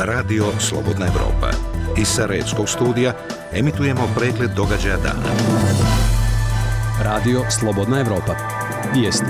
Radio Slobodna Evropa. Iz Sarajevskog studija emitujemo pregled događaja dana. Radio Slobodna Evropa. Vijesti.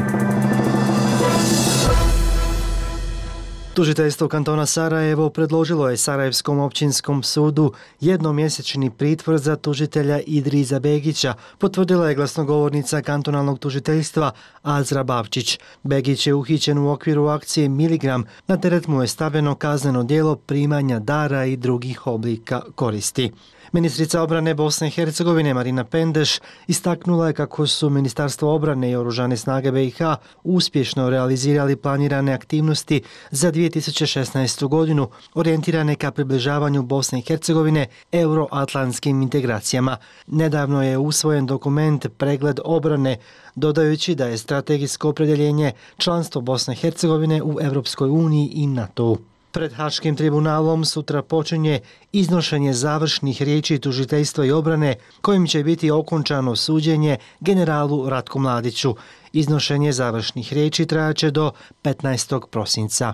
Tužiteljstvo kantona Sarajevo predložilo je Sarajevskom općinskom sudu jednomjesečni pritvor za tužitelja Idriza Begića, potvrdila je glasnogovornica kantonalnog tužiteljstva Azra Bavčić. Begić je uhićen u okviru akcije Miligram, na teret mu je stavljeno kazneno djelo primanja dara i drugih oblika koristi. Ministrica obrane Bosne i Hercegovine Marina Pendeš istaknula je kako su Ministarstvo obrane i Oružane snage BiH uspješno realizirali planirane aktivnosti za 2016. godinu orijentirane ka približavanju Bosne i Hercegovine euroatlantskim integracijama. Nedavno je usvojen dokument Pregled obrane, dodajući da je strategijsko opredjeljenje članstvo Bosne i Hercegovine u Europskoj uniji i NATO-u. Pred Haškim tribunalom sutra počinje iznošenje završnih riječi tužiteljstva i obrane kojim će biti okončano suđenje generalu Ratku Mladiću. Iznošenje završnih riječi trajaće do 15. prosinca.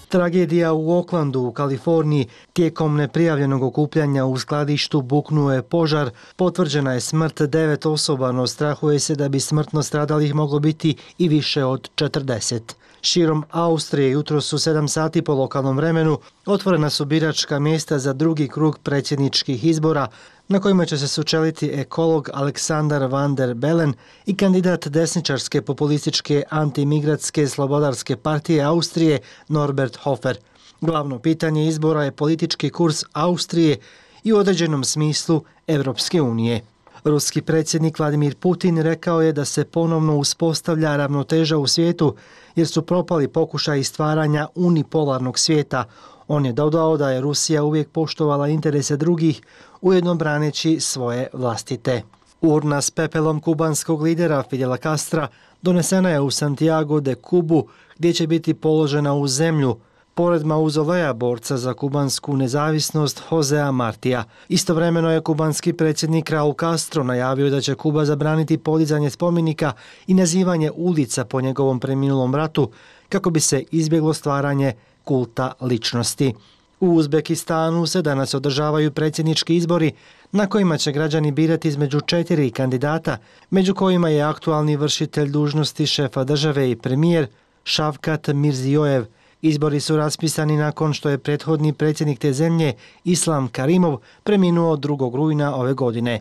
Tragedija u Oaklandu u Kaliforniji. Tijekom neprijavljenog okupljanja u skladištu buknuo je požar. Potvrđena je smrt 9 osoba, no strahuje se da bi smrtno stradalih moglo biti i više od 40. Širom Austrije jutros u 7 sati po lokalnom vremenu otvorena su biračka mjesta za drugi krug predsjedničkih izbora na kojima će se sučeliti ekolog Aleksandar van der Bellen i kandidat desničarske populističke antimigratske slobodarske partije Austrije Norbert Hofer. Glavno pitanje izbora je politički kurs Austrije i u određenom smislu Europske unije. Ruski predsjednik Vladimir Putin rekao je da se ponovno uspostavlja ravnoteža u svijetu jer su propali pokušaji stvaranja unipolarnog svijeta. On je dodao da je Rusija uvijek poštovala interese drugih, ujedno braneći svoje vlastite. Urna s pepelom kubanskog lidera Fidela Castra donesena je u Santiago de Cubu, gdje će biti položena u zemlju, pored mauzoleja borca za kubansku nezavisnost Josea Martija. Istovremeno je kubanski predsjednik Raul Castro najavio da će Kuba zabraniti podizanje spomenika i nazivanje ulica po njegovom preminulom bratu kako bi se izbjeglo stvaranje kulta ličnosti. U Uzbekistanu se danas održavaju predsjednički izbori na kojima će građani birati između 4 kandidata, među kojima je aktualni vršitelj dužnosti šefa države i premijer Šavkat Mirzijojev. Izbori su raspisani nakon što je prethodni predsjednik te zemlje, Islam Karimov, preminuo 2. rujna ove godine.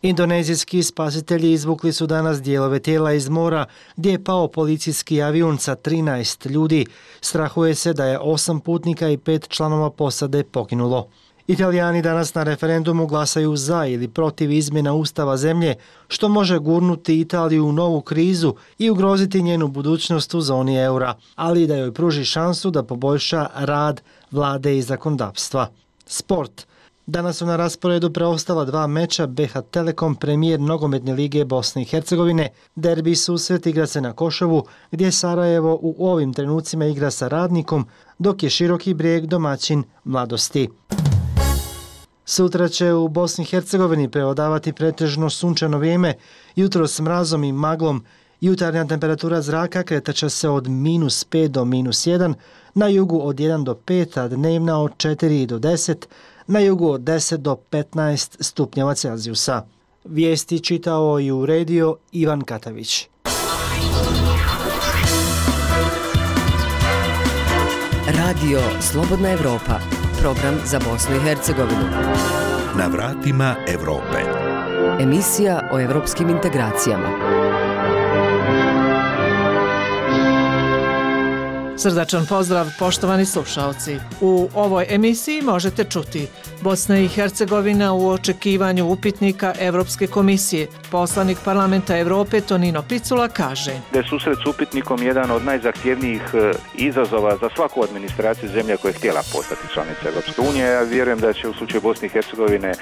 Indonezijski spasitelji izvukli su danas dijelove tijela iz mora gdje je pao policijski avion sa 13 ljudi. Strahuje se da je 8 putnika i 5 članova posade poginulo. Italijani danas na referendumu glasaju za ili protiv izmjena ustava zemlje, što može gurnuti Italiju u novu krizu i ugroziti njenu budućnost u zoni eura, ali i da joj pruži šansu da poboljša rad vlade i zakonodavstva. Sport. Danas su na rasporedu preostala 2 meča BH Telekom premijer nogometne lige Bosne i Hercegovine. Derbi susret igra se na Košovu, gdje Sarajevo u ovim trenucima igra sa Radnikom, dok je Široki Brijeg domaćin Mladosti. Sutra će u Bosni i Hercegovini prevladavati pretežno sunčano vrijeme, jutro s mrazom i maglom. Jutarnja temperatura zraka kretat će se od -5 do -1, na jugu od 1 do 5, a dnevna od 4 do 10, na jugu od 10 do 15 stupnjeva Celzijusa. Vijesti čitao i uredio Ivan Katavić. Radio Slobodna Evropa, program za Bosnu i Hercegovinu. Na vratima Europe. Emisija o evropskim integracijama. Srdačan pozdrav, poštovani slušalci. U ovoj emisiji možete čuti: Bosna i Hercegovina u očekivanju upitnika Evropske komisije. Poslanik Parlamenta Evrope Tonino Picula kaže da je susret s upitnikom jedan od najzahtjevnijih izazova za svaku administraciju zemlje koja je htjela postati članica Evropske unije. Ja vjerujem da će u slučaju Bosne i Hercegovine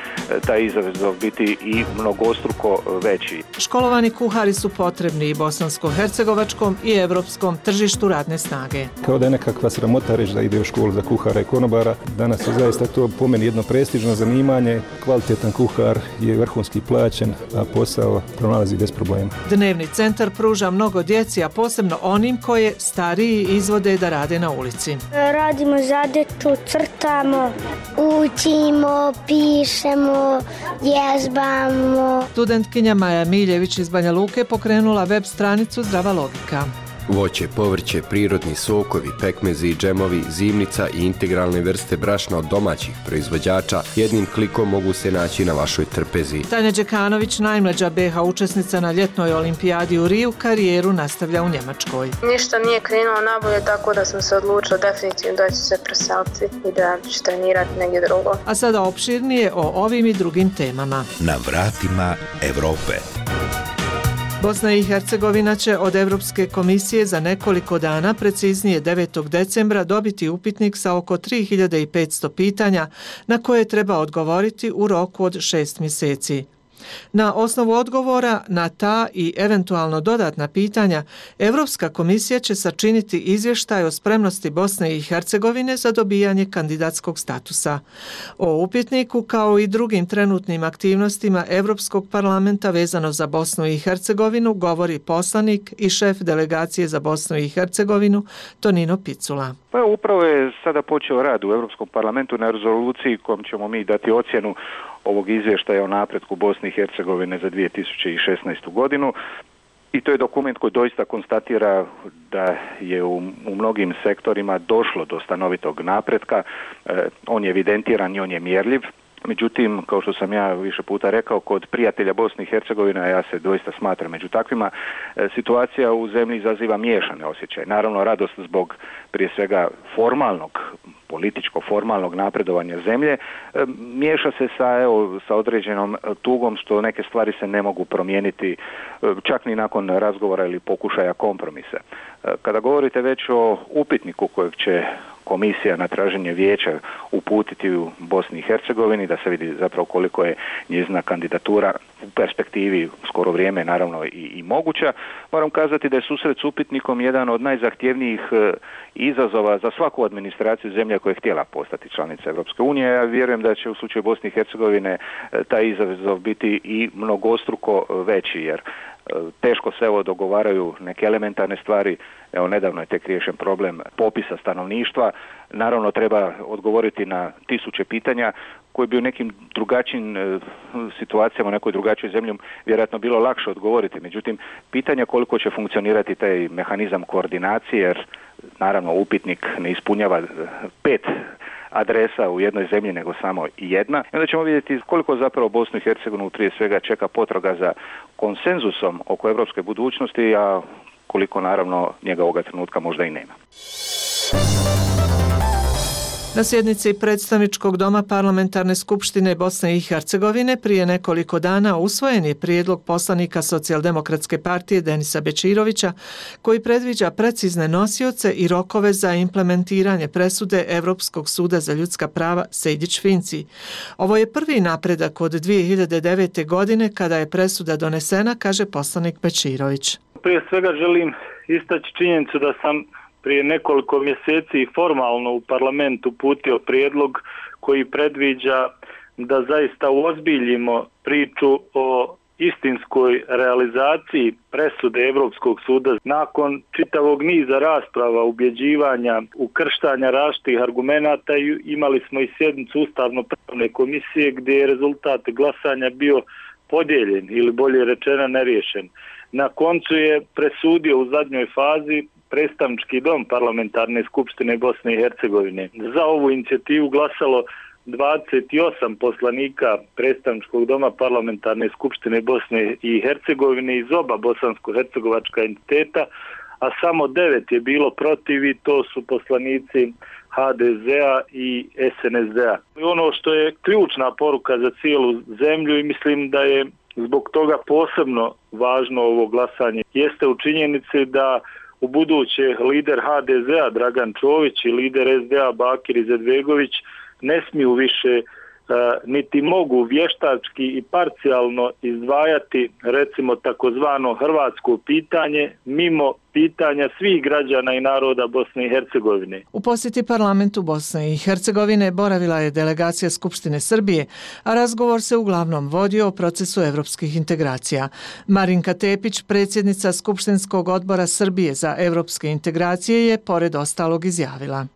taj izazov biti i mnogostruko veći. Školovani kuhari su potrebni i bosansko-hercegovačkom i evropskom tržištu radne snage. Kao da je nekakva sramota reći da ide u školu za kuhara i konobara. Danas je zaista to po meni jedno prestižno zanimanje, kvalitetan kuhar je vrhunski plaćen, a posao pronalazi bez problema. Dnevni centar pruža mnogo djeci, a posebno onim koje stariji izvode da rade na ulici. Radimo zadaću, crtamo, učimo, pišemo, vježbamo. Studentkinja Maja Miljević iz Banja Luke pokrenula web stranicu Zdrava logika. Voće, povrće, prirodni sokovi, pekmezi, džemovi, zimnica i integralne vrste brašna od domaćih proizvođača jednim klikom mogu se naći na vašoj trpezi. Tanja Đekanović, najmlađa BH učesnica na ljetnoj olimpijadi u Riju, karijeru nastavlja u Njemačkoj. Ništa nije krenulo nabolje, tako da sam se odlučila definitivno da ću se preseliti i da ću trenirati negdje drugo. A sada opširnije o ovim i drugim temama. Na vratima Evrope. Bosna i Hercegovina će od Europske komisije za nekoliko dana, preciznije 9. decembra, dobiti upitnik sa oko 3500 pitanja na koje treba odgovoriti u roku od 6 mjeseci. Na osnovu odgovora na ta i eventualno dodatna pitanja, Europska komisija će sačiniti izvještaj o spremnosti Bosne i Hercegovine za dobijanje kandidatskog statusa. O upitniku kao i drugim trenutnim aktivnostima Europskog parlamenta vezano za Bosnu i Hercegovinu govori poslanik i šef delegacije za Bosnu i Hercegovinu Tonino Picula. Pa upravo je sada počeo rad u Europskom parlamentu na rezoluciji kojom ćemo mi dati ocjenu ovog izvještaja o napretku Bosne i Hercegovine za 2016. godinu. I to je dokument koji doista konstatira da je u mnogim sektorima došlo do stanovitog napretka. On je evidentiran i on je mjerljiv. Međutim, kao što sam ja više puta rekao, kod prijatelja Bosne i Hercegovine, a ja se doista smatram među takvima, situacija u zemlji izaziva miješane osjećaje. Naravno, radost zbog prije svega političko-formalnog napredovanja zemlje, miješa se sa određenom tugom što neke stvari se ne mogu promijeniti čak ni nakon razgovora ili pokušaja kompromisa. Kada govorite već o upitniku kojeg će komisija na traženje vijeća uputiti u Bosni i Hercegovini, da se vidi zapravo koliko je njezina kandidatura u perspektivi skoro vrijeme naravno i moguća. Moram kazati da je susret s upitnikom jedan od najzahtjevnijih izazova za svaku administraciju zemlje koja je htjela postati članica Europske unije. Ja vjerujem da će u slučaju Bosne i Hercegovine taj izazov biti i mnogostruko veći, jer teško se dogovaraju neke elementarne stvari. Evo, nedavno je tek riješen problem popisa stanovništva. Naravno, treba odgovoriti na tisuće pitanja koje bi u nekim drugačijim situacijama, u nekoj drugačijoj zemlji vjerojatno bilo lakše odgovoriti. Međutim, pitanja koliko će funkcionirati taj mehanizam koordinacije, jer naravno upitnik ne ispunjava 5 adresa u jednoj zemlji, nego samo jedna. I onda ćemo vidjeti koliko zapravo Bosnu i Hercegovinu prije svega čeka potraga za konsenzusom oko europske budućnosti, a koliko naravno njega ovoga trenutka možda i nema. Na sjednici predstavničkog doma Parlamentarne skupštine Bosne i Hercegovine prije nekoliko dana usvojen je prijedlog poslanika Socijaldemokratske partije Denisa Bečirovića koji predviđa precizne nosioce i rokove za implementiranje presude Europskog suda za ljudska prava Sejdić-Finci. Ovo je prvi napredak od 2009. godine kada je presuda donesena, kaže poslanik Bečirović. Prije svega želim istaći činjenicu da sam prije nekoliko mjeseci formalno u parlamentu uputio prijedlog koji predviđa da zaista uozbiljimo priču o istinskoj realizaciji presude Europskog suda. Nakon čitavog niza rasprava, ubjeđivanja, ukrštanja različitih argumenata, imali smo i sjednicu Ustavno-pravne komisije gdje je rezultat glasanja bio podijeljen ili bolje rečeno neriješen. Na koncu je presudio u zadnjoj fazi predstavnički dom Parlamentarne skupštine Bosne i Hercegovine. Za ovu inicijativu glasalo 28 poslanika predstavničkog doma Parlamentarne skupštine Bosne i Hercegovine iz oba bosansko-hercegovačka entiteta, a samo 9 je bilo protiv i to su poslanici HDZ-a i SNSD-a. Ono što je ključna poruka za cijelu zemlju i mislim da je zbog toga posebno važno ovo glasanje jeste u činjenici da u buduće lider HDZ-a Dragan Čović i lider SDA Bakir Izetbegović ne smiju više niti mogu vještački i parcijalno izdvajati recimo takozvano hrvatsko pitanje mimo pitanja svih građana i naroda Bosne i Hercegovine. U posjeti parlamentu Bosne i Hercegovine boravila je delegacija Skupštine Srbije, a razgovor se uglavnom vodio o procesu evropskih integracija. Marinka Tepić, predsjednica Skupštinskog odbora Srbije za evropske integracije, je pored ostalog izjavila: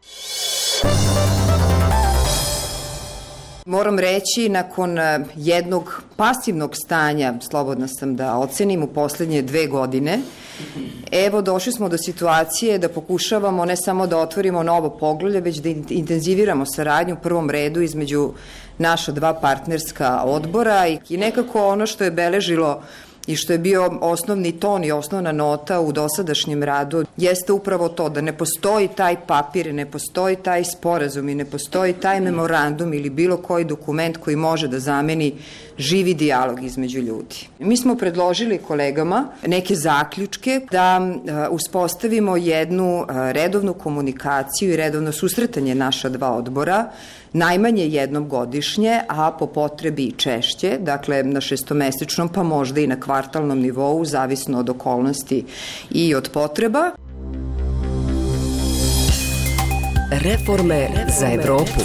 Moram reći, nakon jednog pasivnog stanja, slobodna sam da ocenim, u posljednje 2 godine, evo došli smo do situacije da pokušavamo ne samo da otvorimo novo poglavlje, već da intenziviramo saradnju u prvom redu između naša 2 partnerska odbora i nekako ono što je beležilo i što je bio osnovni ton i osnovna nota u dosadašnjem radu jeste upravo to da ne postoji taj papir, ne postoji taj sporazum i ne postoji taj memorandum ili bilo koji dokument koji može da zameni živi dijalog između ljudi. Mi smo predložili kolegama neke zaključke da uspostavimo jednu redovnu komunikaciju i redovno susretanje naša 2 odbora, najmanje jednom godišnje, a po potrebi i češće, dakle na 6-mesečnom pa možda i na kvartalnom nivou, zavisno od okolnosti i od potreba. Reforme za Evropu.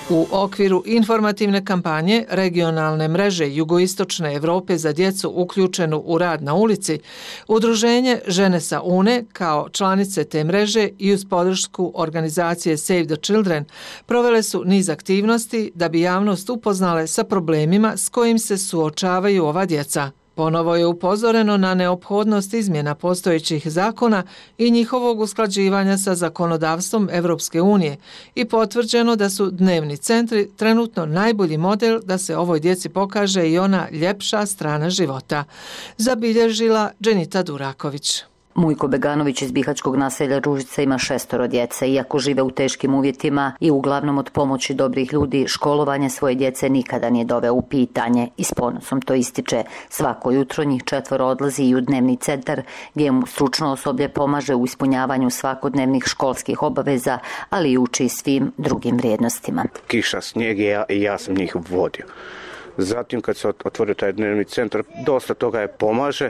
U okviru informativne kampanje regionalne mreže Jugoistočne Evrope za djecu uključenu u rad na ulici, Udruženje Žene sa UNE kao članice te mreže i uz podršku organizacije Save the Children provele su niz aktivnosti da bi javnost upoznale sa problemima s kojim se suočavaju ova djeca. Ponovo je upozoreno na neophodnost izmjena postojećih zakona i njihovog usklađivanja sa zakonodavstvom Evropske unije i potvrđeno da su dnevni centri trenutno najbolji model da se ovoj djeci pokaže i ona ljepša strana života, zabilježila Dženita Duraković. Mujko Beganović iz bihaćkog naselja Ružica ima 6 djece. Iako žive u teškim uvjetima i uglavnom od pomoći dobrih ljudi, školovanje svoje djece nikada nije doveo u pitanje i s ponosom to ističe. Svako jutro njih 4 odlazi i u dnevni centar gdje mu stručno osoblje pomaže u ispunjavanju svakodnevnih školskih obaveza, ali i uči svim drugim vrijednostima. Kiša, snijeg i ja sam njih vodio. Zatim kad se otvorio taj dnevni centar, dosta toga je pomaže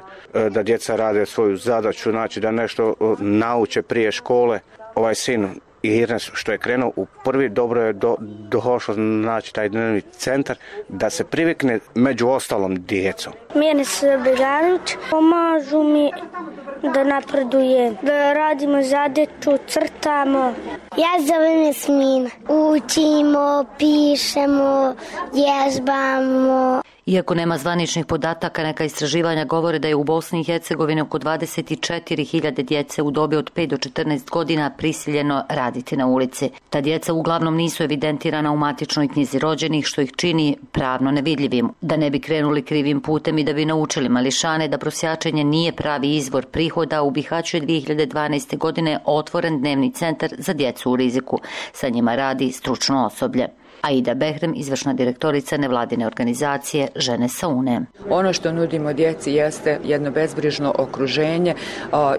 da djeca rade svoju zadaću, znači da nešto nauče prije škole. Ovaj sin Irnes što je krenuo u prvi, dobro je došlo znači taj dnevni centar da se privikne među ostalom djecom. Mirnes Beganović, pomažu mi da napredujem, da radimo zadaću, crtamo. Ja zovem Jasmina. Učimo, pišemo, vježbamo. Iako nema zvaničnih podataka, neka istraživanja govore da je u Bosni i Hercegovini oko 24.000 djece u dobi od 5 do 14 godina prisiljeno raditi na ulici. Ta djeca uglavnom nisu evidentirana u matičnoj knjizi rođenih, što ih čini pravno nevidljivim. Da ne bi krenuli krivim putem i da bi naučili mališane da prosjačenje nije pravi izvor prihoda, u Bihaću je 2012. godine otvoren dnevni centar za djecu u riziku. Sa njima radi stručno osoblje. Aida Behrem, izvršna direktorica nevladine organizacije Žene sa UNE. Ono što nudimo djeci jeste jedno bezbrižno okruženje,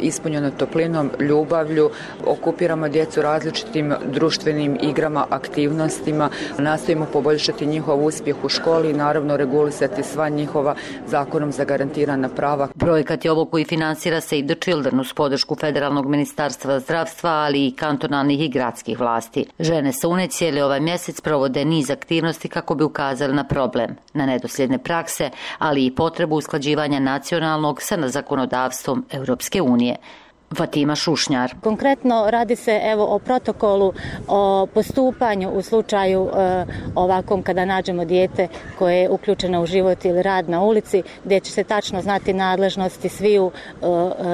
ispunjeno toplinom, ljubavlju. Okupiramo djecu različitim društvenim igrama, aktivnostima. Nastojimo poboljšati njihov uspjeh u školi i naravno regulisati sva njihova zakonom zagarantirana prava. Projekat je ovo koji finansira Save the Children uz podršku Federalnog ministarstva zdravstva, ali i kantonalnih i gradskih vlasti. Žene sa UNE cijeli ovaj mjesec provode niz aktivnosti kako bi ukazali na problem, na nedosljedne prakse, ali i potrebu usklađivanja nacionalnog sa zakonodavstvom Europske unije. Fatima Šušnjar. Konkretno radi se o protokolu o postupanju u slučaju ovakvom kada nađemo dijete koje je uključeno u život ili rad na ulici, gdje će se tačno znati nadležnosti sviju,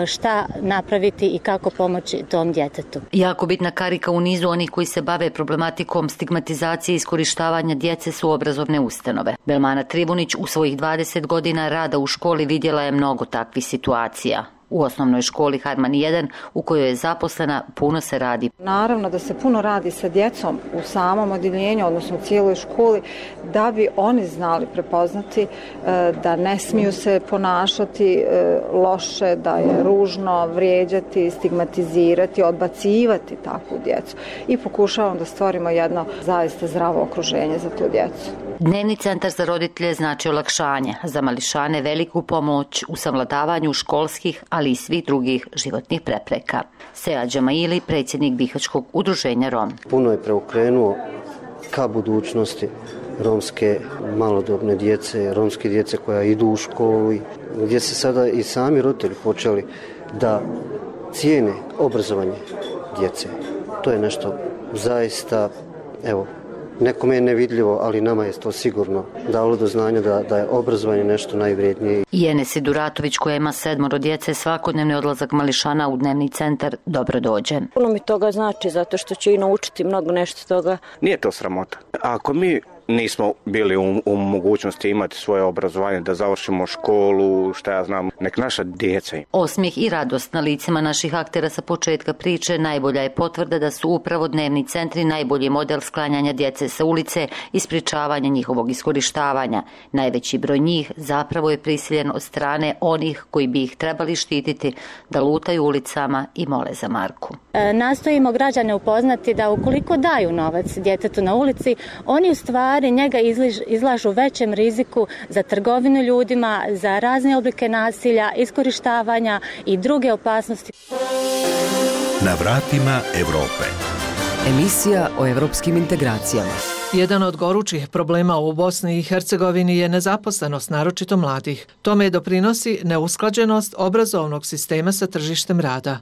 šta napraviti i kako pomoći tom djetetu. Jako bitna karika u nizu onih koji se bave problematikom stigmatizacije i iskorištavanja djece su obrazovne ustanove. Belmana Trivunić u svojih 20 godina rada u školi vidjela je mnogo takvih situacija. U osnovnoj školi Harman 1, u kojoj je zaposlena, puno se radi. Naravno da se puno radi sa djecom u samom odjeljenju, odnosno u cijeloj školi, da bi oni znali prepoznati da ne smiju se ponašati loše, da je ružno vrijeđati, stigmatizirati, odbacivati takvu djecu. I pokušavamo da stvorimo jedno zaista zdravo okruženje za tu djecu. Dnevni centar za roditelje znači olakšanje, za mališane veliku pomoć u savladavanju školskih, ali i svih drugih životnih prepreka. Sead Džamaili, predsjednik Bihaćkog udruženja Rom. Puno je preokrenuo ka budućnosti romske malodobne djece, romske djece koja idu u školu, gdje se sada i sami roditelji počeli da cijene obrazovanje djece. To je nešto zaista, evo, nekome je nevidljivo, ali nama je to sigurno dalo do znanja da je obrazovanje nešto najvrijednije. I Enesi Duratović, koja ima 7 djece, svakodnevni odlazak mališana u dnevni centar dobro dođe. Puno mi toga znači, zato što će i naučiti mnogo nešto toga. Nije to sramota. Ako mi nismo bili u mogućnosti imati svoje obrazovanje, da završimo školu, šta ja znam, nek naša djeca. Osmijeh i radost na licima naših aktera sa početka priče najbolja je potvrda da su upravo dnevni centri najbolji model sklanjanja djece sa ulice i sprječavanja njihovog iskorištavanja. Najveći broj njih zapravo je prisiljen od strane onih koji bi ih trebali štititi da lutaju ulicama i mole za marku. Nastojimo građane upoznati da ukoliko daju novac djetetu na ulici, oni u stvari njega izlažu većem riziku za trgovinu ljudima, za razne oblike nasilja, iskorištavanja i druge opasnosti. Na vratima Europe. Emisija o evropskim integracijama. Jedan od gorućih problema u Bosni i Hercegovini je nezaposlenost, naročito mladih. Tome doprinosi neusklađenost obrazovnog sistema sa tržištem rada.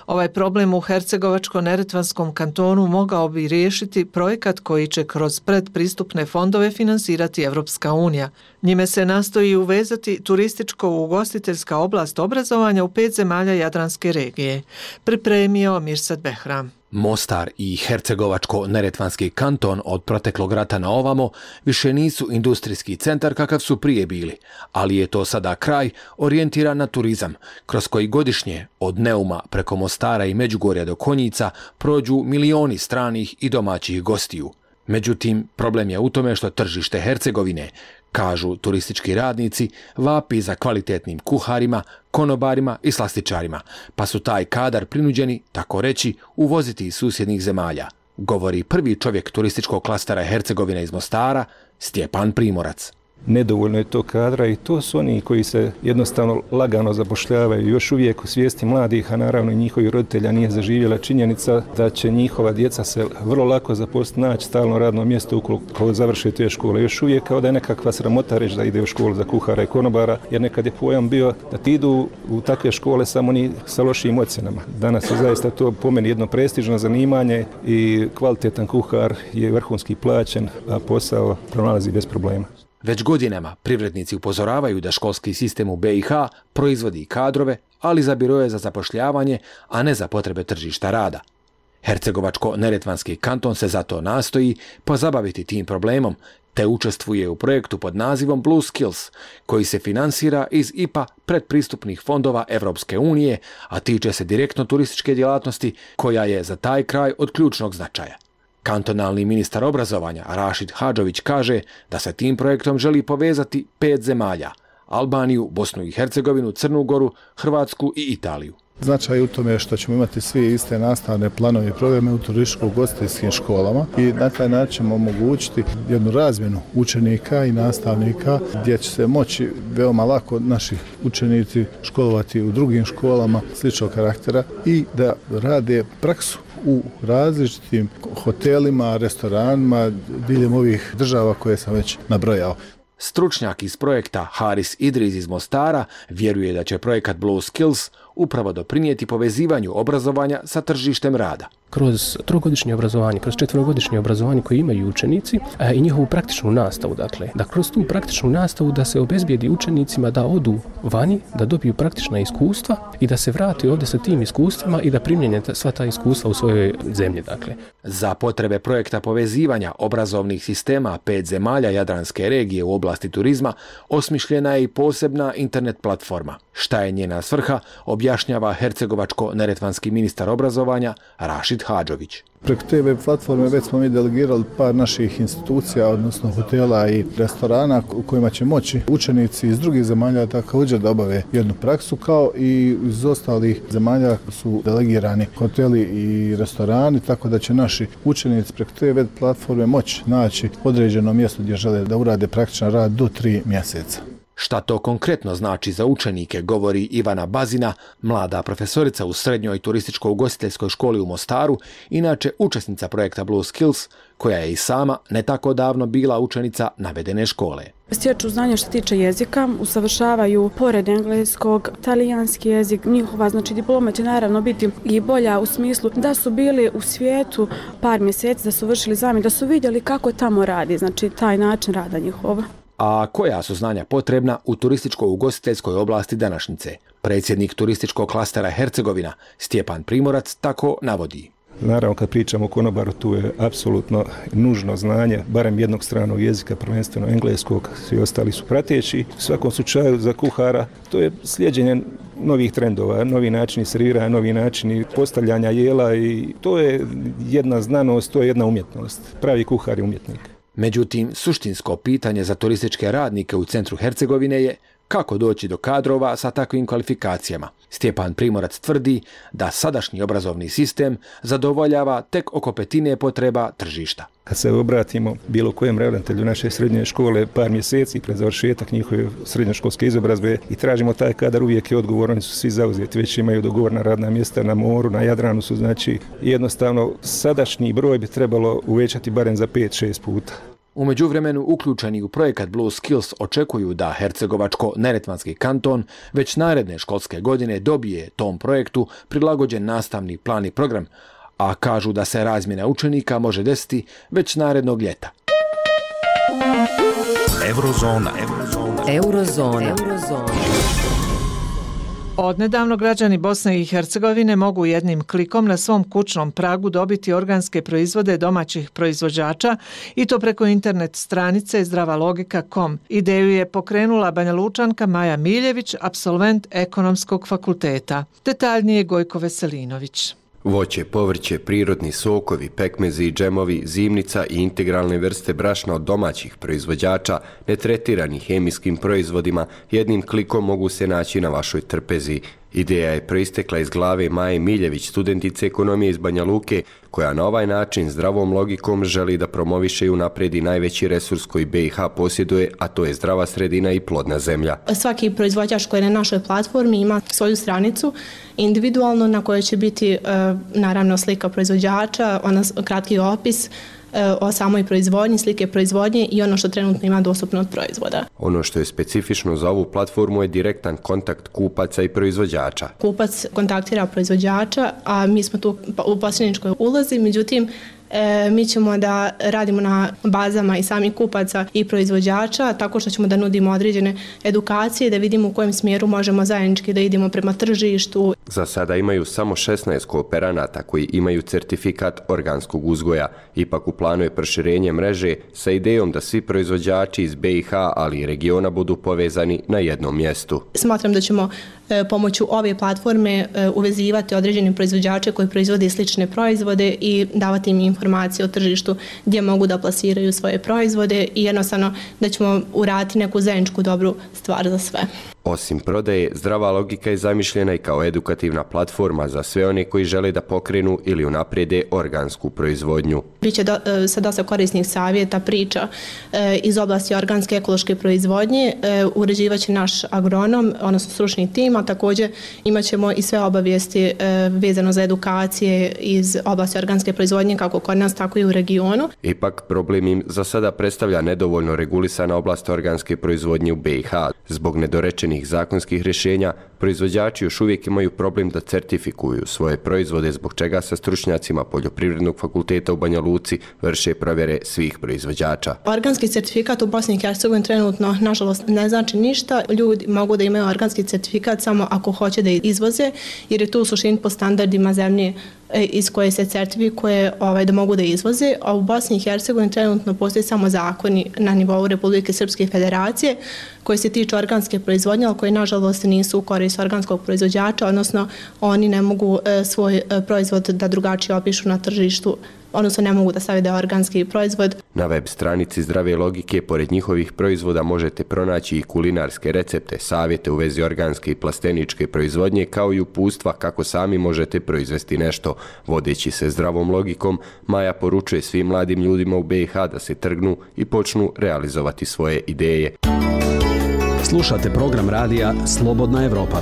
Ovaj problem u Hercegovačko-Neretvanskom kantonu mogao bi riješiti projekat koji će kroz predpristupne fondove finansirati Evropska unija. Njime se nastoji uvezati turističko-ugostiteljska oblast obrazovanja u 5 zemalja Jadranske regije. Pripremio Mirsad Behram. Mostar i Hercegovačko-Neretvanski kanton od proteklog rata na ovamo više nisu industrijski centar kakav su prije bili, ali je to sada kraj orijentiran na turizam, kroz koji godišnje od Neuma preko Mostara i Međugorja do Konjica prođu milioni stranih i domaćih gostiju. Međutim, problem je u tome što tržište Hercegovine, kažu turistički radnici, vapi za kvalitetnim kuharima, konobarima i slastičarima, pa su taj kadar prinuđeni, tako reći, uvoziti iz susjednih zemalja, govori prvi čovjek turističkog klastera Hercegovine iz Mostara, Stjepan Primorac. Nedovoljno je to kadra i to su oni koji se jednostavno lagano zapošljavaju. Još uvijek u svijesti mladih, a naravno i njihovih roditelja nije zaživjela činjenica da će njihova djeca se vrlo lako zaposliti, naći stalno radno mjesto ukoliko završe te škole. Još uvijek kao da je nekakva sramota reći da ide u školu za kuhara i konobara, jer nekad je pojam bio da ti idu u takve škole samo oni sa lošim ocjenama. Danas je zaista to po meni jedno prestižno zanimanje i kvalitetan kuhar je vrhunski plaćen, a posao pronalazi bez problema. Već godinama privrednici upozoravaju da školski sistem u BiH proizvodi kadrove, ali za biroje za zapošljavanje, a ne za potrebe tržišta rada. Hercegovačko-Neretvanski kanton se zato nastoji pozabaviti tim problemom, te učestvuje u projektu pod nazivom Blue Skills, koji se finansira iz IPA predpristupnih fondova Evropske unije, a tiče se direktno turističke djelatnosti, koja je za taj kraj od ključnog značaja. Kantonalni ministar obrazovanja Rašid Hadžović kaže da se tim projektom želi povezati 5 zemalja: Albaniju, Bosnu i Hercegovinu, Crnu Goru, Hrvatsku i Italiju. Značaj u tome što ćemo imati svi iste nastavne planove i programe u turističko-ugostiteljskim školama i na taj način ćemo omogućiti jednu razmjenu učenika i nastavnika gdje će se moći veoma lako naši učenici školovati u drugim školama sličnog karaktera i da rade praksu u različitim hotelima, restoranima, diljem ovih država koje sam već nabrojao. Stručnjak iz projekta Haris Idriz iz Mostara vjeruje da će projekat Blue Skills upravo doprinijeti povezivanju obrazovanja sa tržištem rada. kroz trogodišnje obrazovanje, kroz četverogodišnje obrazovanje koje imaju učenici i njihovu praktičnu nastavu. Dakle, da kroz tu praktičnu nastavu da se obezbijedi učenicima da odu vani, da dobiju praktična iskustva i da se vrati ovdje sa tim iskustvima i da primjenje sva ta iskustva u svojoj zemlji. Dakle. Za potrebe projekta povezivanja obrazovnih sistema 5 zemalja Jadranske regije u oblasti turizma osmišljena je i posebna internet platforma. Šta je njena svrha, objašnjava hercegovačko-neretvanski ministar obrazovanja Rašid Hadžović. Preko te web platforme već smo mi delegirali par naših institucija, odnosno hotela i restorana u kojima će moći učenici iz drugih zemalja također da obave jednu praksu, kao i iz ostalih zemalja su delegirani hoteli i restorani, tako da će naši učenici preko te web platforme moći naći određeno mjesto gdje žele da urade praktičan rad do 3 mjeseca. Šta to konkretno znači za učenike, govori Ivana Bazina, mlada profesorica u srednjoj turističko-ugostiteljskoj školi u Mostaru, inače učesnica projekta Blue Skills, koja je i sama ne tako davno bila učenica navedene škole. Stječu znanja što tiče jezika, usavršavaju pored engleskog, talijanski jezik, njihova diploma će naravno biti i bolja u smislu da su bili u svijetu par mjeseci, da su vršili zamjenu, da su vidjeli kako tamo radi, taj način rada njihova. A koja su znanja potrebna u turističko-ugostiteljskoj oblasti današnjice? Predsjednik turističkog klastera Hercegovina, Stjepan Primorac, tako navodi. Naravno, kad pričamo o konobaru, tu je apsolutno nužno znanje, barem jednog stranog jezika, prvenstveno engleskog, svi ostali su prateći. U svakom slučaju za kuhara to je slijeđenje novih trendova, novi načini serviranja, novi načini postavljanja jela i to je jedna znanost, to je jedna umjetnost. Pravi kuhar je umjetnik. Međutim, suštinsko pitanje za turističke radnike u centru Hercegovine je kako doći do kadrova sa takvim kvalifikacijama. Stjepan Primorac tvrdi da sadašnji obrazovni sistem zadovoljava tek oko petine potreba tržišta. Kad se obratimo bilo kojem ravnatelju naše srednje škole par mjeseci pred završetak njihove srednjoškolske izobrazbe i tražimo taj kadar, uvijek je odgovor, oni su svi zauzeti, već imaju dogovorna radna mjesta na moru, na Jadranu su, znači jednostavno sadašnji broj bi trebalo uvećati barem za 5-6 puta. U međuvremenu uključeni u projekat Blue Skills očekuju da Hercegovačko-neretvanski kanton već naredne školske godine dobije tom projektu prilagođen nastavni plan i program, a kažu da se razmjena učenika može desiti već narednog ljeta. Eurozona. Odnedavno građani Bosne i Hercegovine mogu jednim klikom na svom kućnom pragu dobiti organske proizvode domaćih proizvođača i to preko internet stranice zdravalogika.com. Ideju je pokrenula Banjalučanka Maja Miljević, apsolvent Ekonomskog fakulteta. Detaljnije Gojko Veselinović. Voće, povrće, prirodni sokovi, pekmezi i džemovi, zimnica i integralne vrste brašna od domaćih proizvođača, netretirani hemijskim proizvodima, jednim klikom mogu se naći na vašoj trpezi. Ideja je proistekla iz glave Maje Miljević, studentice ekonomije iz Banja Luke, koja na ovaj način zdravom logikom želi da promoviše i unapredi najveći resurs koji BiH posjeduje, a to je zdrava sredina i plodna zemlja. Svaki proizvođač koji je na našoj platformi ima svoju stranicu individualno na kojoj će biti naravno slika proizvođača, kratki opis o samoj proizvodnji, slike proizvodnje i ono što trenutno ima dostupno od proizvoda. Ono što je specifično za ovu platformu je direktan kontakt kupaca i proizvođača. Kupac kontaktira proizvođača, a mi smo tu u posredničkoj ulozi, međutim mi ćemo da radimo na bazama i samih kupaca i proizvođača, tako što ćemo da nudimo određene edukacije, da vidimo u kojem smjeru možemo zajednički da idemo prema tržištu. Za sada imaju samo 16 kooperanata koji imaju certifikat organskog uzgoja. Ipak u planu je proširenje mreže sa idejom da svi proizvođači iz BiH, ali i regiona budu povezani na jednom mjestu. Smatram da ćemo pomoću ove platforme uvezivati određene proizvođače koji proizvode slične proizvode i davati im informacije o tržištu gdje mogu da plasiraju svoje proizvode i jednostavno da ćemo uraditi neku zajedničku dobru stvar za sve. Osim prodaje, zdrava logika je zamišljena i kao edukativna platforma za sve one koji žele da pokrenu ili unaprijede organsku proizvodnju. Biće sa dosta korisnih savjeta, priča iz oblasti organske ekološke proizvodnje, uređivaće naš agronom, odnosno stručni tim, a također imat ćemo i sve obavijesti vezano za edukacije iz oblasti organske proizvodnje kako kod nas, tako i u regionu. Ipak problem im za sada predstavlja nedovoljno regulisana oblast organske proizvodnje u BiH. Zbog nedorečenih zakonskih rješenja, Proizvođači još uvijek imaju problem da certifikuju svoje proizvode, zbog čega sa stručnjacima Poljoprivrednog fakulteta u Banja Luci vrše provjere svih proizvođača. Organski certifikat u Bosni i Hercegovini trenutno, nažalost, ne znači ništa. Ljudi mogu da imaju organski certifikat samo ako hoće da izvoze, jer je to u suštini po standardima zemlje iz koje se certifikuje da mogu da izvoze, a u Bosni i Hercegovini trenutno postoje samo zakoni na nivou Republike Srpske federacije koji se tiču organske proizvodnje, ali koji nažalost nisu u korist organskog proizvođača, odnosno oni ne mogu svoj proizvod da drugačije opišu na tržištu, odnosno ne mogu da stave da je organski proizvod. Na web stranici Zdrave logike, pored njihovih proizvoda, možete pronaći i kulinarske recepte, savjete u vezi organske i plasteničke proizvodnje, kao i uputstva kako sami možete proizvesti nešto. Vodeći se zdravom logikom, Maja poručuje svim mladim ljudima u BiH da se trgnu i počnu realizovati svoje ideje. Slušate program radija Slobodna Evropa.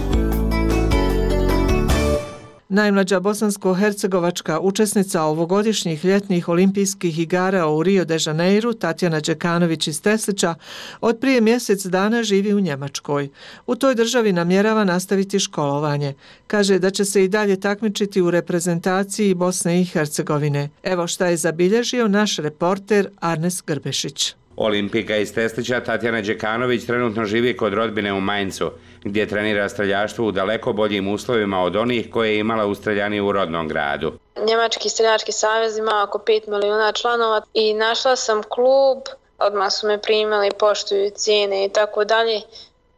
Najmlađa bosansko-hercegovačka učesnica ovogodišnjih ljetnih olimpijskih igara u Rio de Janeiru, Tatjana Đekanović iz Teslića, od prije mjesec dana živi u Njemačkoj. U toj državi namjerava nastaviti školovanje. Kaže da će se i dalje takmičiti u reprezentaciji Bosne i Hercegovine. Evo šta je zabilježio naš reporter Arnes Grbešić. Olimpijka iz Teslića Tatjana Đekanović trenutno živi kod rodbine u Mainzu, gdje trenira streljaštvo u daleko boljim uslovima od onih koje je imala u streljani u rodnom gradu. Njemački streljački savez ima oko 5 milijuna članova i našla sam klub, odmah su me primili, poštuju cijene i tako dalje.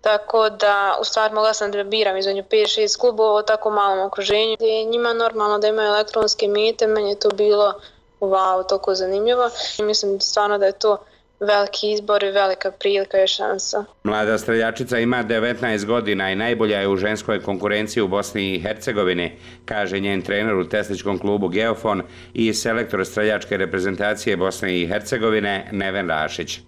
Tako da, u stvari mogla sam da biram između 5-6 klubova u tako malom okruženju. Je njima normalno da imaju elektronske mete, meni je to bilo wow, toliko zanimljivo. Mislim stvarno da je to veliki izbor i velika prilika i šansa. Mlada streljačica ima 19 godina i najbolja je u ženskoj konkurenciji u Bosni i Hercegovini, kaže njen trener u tesličkom klubu Geofon i selektor streljačke reprezentacije Bosne i Hercegovine Neven Rašić.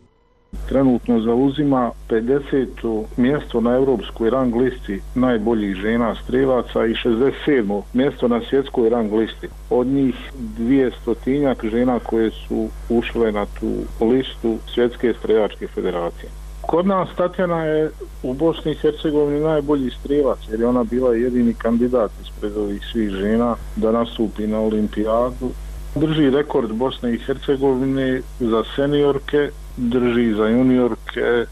Trenutno zauzima 50. mjesto na europskoj rang listi najboljih žena strelaca i 67. mjesto na svjetskoj rang listi. Od njih 200 žena koje su ušle na tu listu Svjetske streljačke federacije. Kod nas Tatjana je u Bosni i Hercegovini najbolji strelac, jer je ona bila jedini kandidat ispred ovih svih žena da nastupi na olimpijadu. Drži rekord Bosne i Hercegovine za seniorke, drži za juniorke,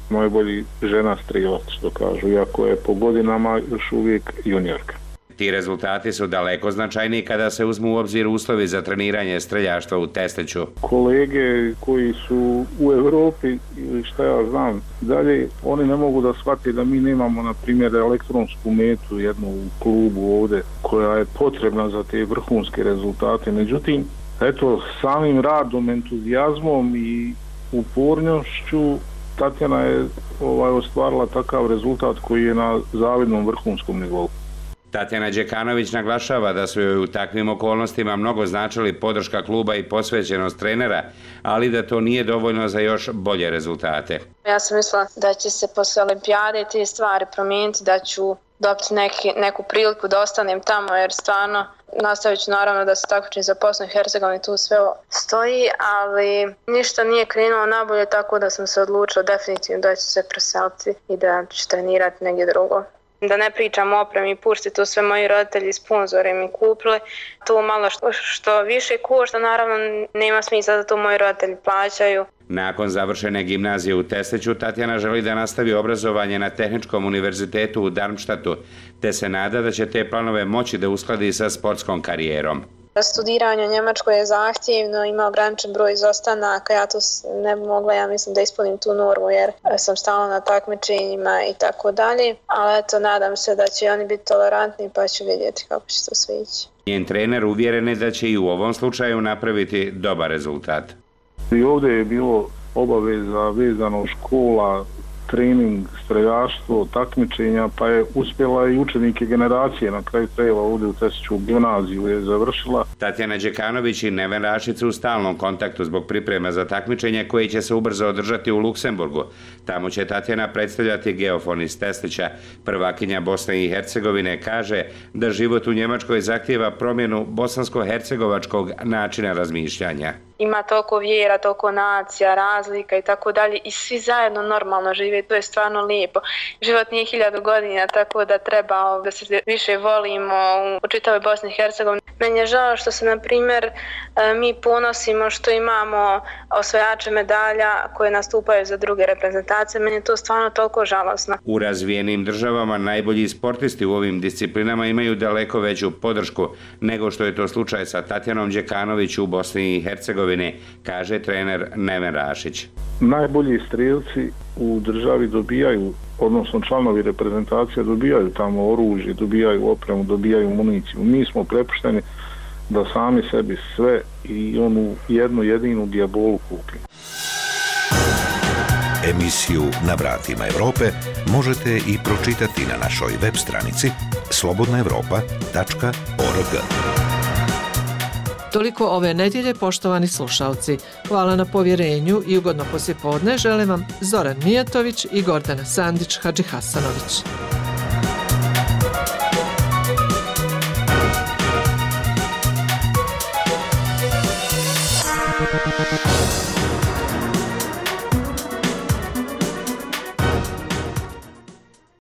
najbolji žena strelac, što kažu, iako je po godinama još uvijek juniorka. Ti rezultati su daleko značajniji kada se uzmu u obzir uslovi za treniranje streljaštva u Tesliću. Kolege koji su u Europi ili šta ja znam dalje, oni ne mogu da shvate da mi nemamo, na primjer, elektronsku metu jednu u klubu ovdje koja je potrebna za te vrhunske rezultate. Međutim, eto, samim radom, entuzijazmom i upornošću Tatjana je ostvarila takav rezultat koji je na zavidnom vrhunskom nivou. Tatjana Đekanović naglašava da su joj u takvim okolnostima mnogo značili podrška kluba i posvećenost trenera, ali da to nije dovoljno za još bolje rezultate. Ja sam mislila da će se posle olimpijade te stvari promijeniti, da ću dobiti neku priliku da ostanem tamo, jer stvarno nastavit ću naravno da se takmičim za Bosnu i Hercegovinu, tu sve stoji, ali ništa nije krenulo nabolje, tako da sam se odlučila definitivno da ću se preseliti i da ću trenirati negdje drugo. Da ne pričam o opremi i pušti, to sve moji roditelji i sponzori mi kupili. To malo što više košta, naravno nema smisla da to moji roditelji plaćaju. Nakon završene gimnazije u Tesliću, Tatjana želi da nastavi obrazovanje na Tehničkom univerzitetu u Darmstadtu, te se nada da će te planove moći da uskladi sa sportskom karijerom. Studiranje u Njemačkoj je zahtjevno, ima ograničen broj izostanaka, ja to ne bi mogla, ja mislim, da ispunim tu normu jer sam stalno na takmičenjima i tako dalje, ali eto, nadam se da će oni biti tolerantni pa ću vidjeti kako će to sve ići. Njen trener uvjeren je da će i u ovom slučaju napraviti dobar rezultat. I ovdje je bilo obaveza vezano škola, trening, streljaštvo, takmičenja, pa je uspjela i učenike generacije, na kraju krajeva ovdje u Tesliću gimnaziju je završila. Tatjana Đekanović i Neven Rašić su u stalnom kontaktu zbog priprema za takmičenje koje će se ubrzo održati u Luksemburgu. Tamo će Tatjana predstavljati Geofon iz Teslića. Prvakinja Bosne i Hercegovine kaže da život u Njemačkoj zahtijeva promjenu bosansko-hercegovačkog načina razmišljanja. ima toliko vjera, toliko nacija, razlika i tako dalje i svi zajedno normalno žive, to je stvarno lijepo. Život nije 1000 godina, tako da treba da se više volimo u čitavoj Bosni i Hercegovini. Meni je žao što se, na primjer, mi ponosimo što imamo osvajače medalja koje nastupaju za druge reprezentacije. Meni je to stvarno toliko žalosno. U razvijenim državama najbolji sportisti u ovim disciplinama imaju daleko veću podršku nego što je to slučaj sa Tatjanom Đekanović u Bosni i Hercegovini, kaže trener Neven Rašić. Najbolji strelci u državi dobijaju, odnosno članovi reprezentacije dobijaju tamo oružje, dobijaju opremu, dobijaju municiju. Mi smo prepušteni da sami sebi sve i onu jednu jedinu dijabolu kupimo. Emisiju Na vratima Evrope možete i pročitati na našoj web stranici slobodnaevropa.org. Toliko ove nedjelje, poštovani slušalci. Hvala na povjerenju i ugodno poslijepodne želim vam Zoran Mijatović i Gordana Sandić-Hadžihasanović.